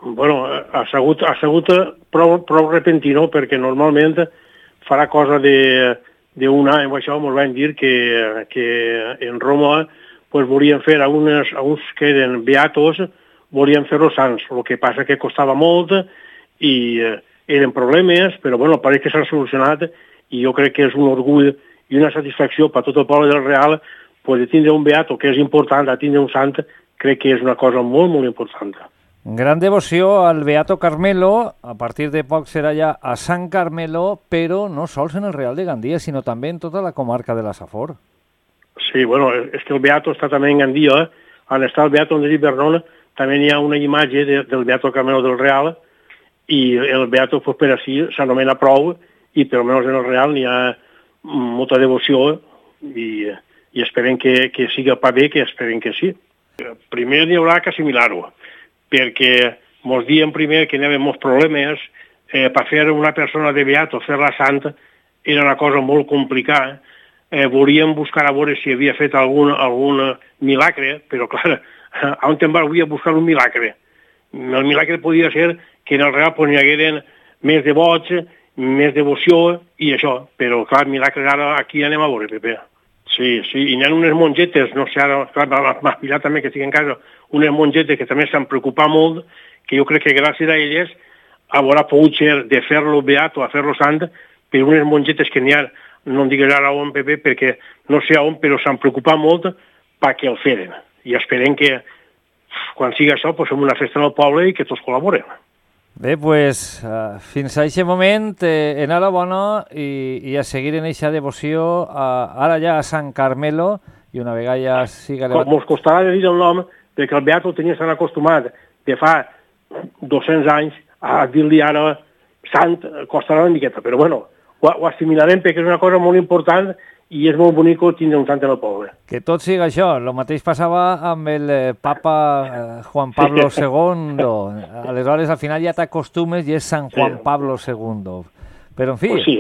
Bueno, ha sigut prou repentino, perquè normalment farà cosa d'un any o això, ens van dir que en Roma pues, volien fer a uns que eren beatos, volien fer-los sants. El que passa que costava molt i eren problemes, però bueno, pareix que s'ha solucionat i jo crec que és un orgull i una satisfacció per tot el poble del Real pues, de tindre un beato que és important, de tindre un sant, crec que és una cosa molt, molt important. Gran devoció al Beato Carmelo, a partir de poc serà ja a Sant Carmelo, però no sols en el Real de Gandia, sinó també en tota la comarca de la Safor. Sí, bueno, és que el Beato està també en Gandia, on està el Beato de Vernon, també hi ha una imatge del Beato Carmelo del Real, i el Beato pues, per així s'anomena prou, i per almenys en el Real hi ha molta devoció, i esperem que siga pa bé, que esperem que sí. Primer n'hi haurà que assimilar-ho, perquè ens diem primer que hi havia molts problemes, per fer una persona de beato, fer-la santa, era una cosa molt complicada. Volíem buscar a veure si havia fet algun milagre, però clar, on te'n vas avui a buscar un milagre? El milagre podia ser que en el Real pues, n'hi hagueren més devots, més devoció i això, però clar, milagres ara aquí anem a veure, Pepe. Sí, i hi ha unes mongetes, no sé, ara, clar, m'ha pillat també que estic en casa, unes mongetes que també s'han preocupat molt, que jo crec que gràcies a elles haurà pogut ser de fer-lo beato a fer-lo sant, per unes mongetes que n'hi ha, no em digues ara on, Pepe, perquè no sé on, però s'han preocupat molt perquè el feren. I esperem que quan sigui això, pues, fem una festa en el poble i que tots col·laborem. Bé, doncs, fins a aquest moment, enhorabona i a seguir en aquesta devoció, ara ja a Sant Carmelo, i una vegada ja siga... Com ens costarà de dir el nom, perquè el Beato el tenia tan acostumat de fa 200 anys a dir-li ara sant, costarà una miqueta, però bueno, ho assimilarem perquè és una cosa molt important i és molt bonic tindre un sant en el poble. Que tot siga això. El mateix passava amb el papa Juan Pablo II. Aleshores, al final ja t'acostumes i és Sant Juan Pablo II. Però, en fi, pues sí.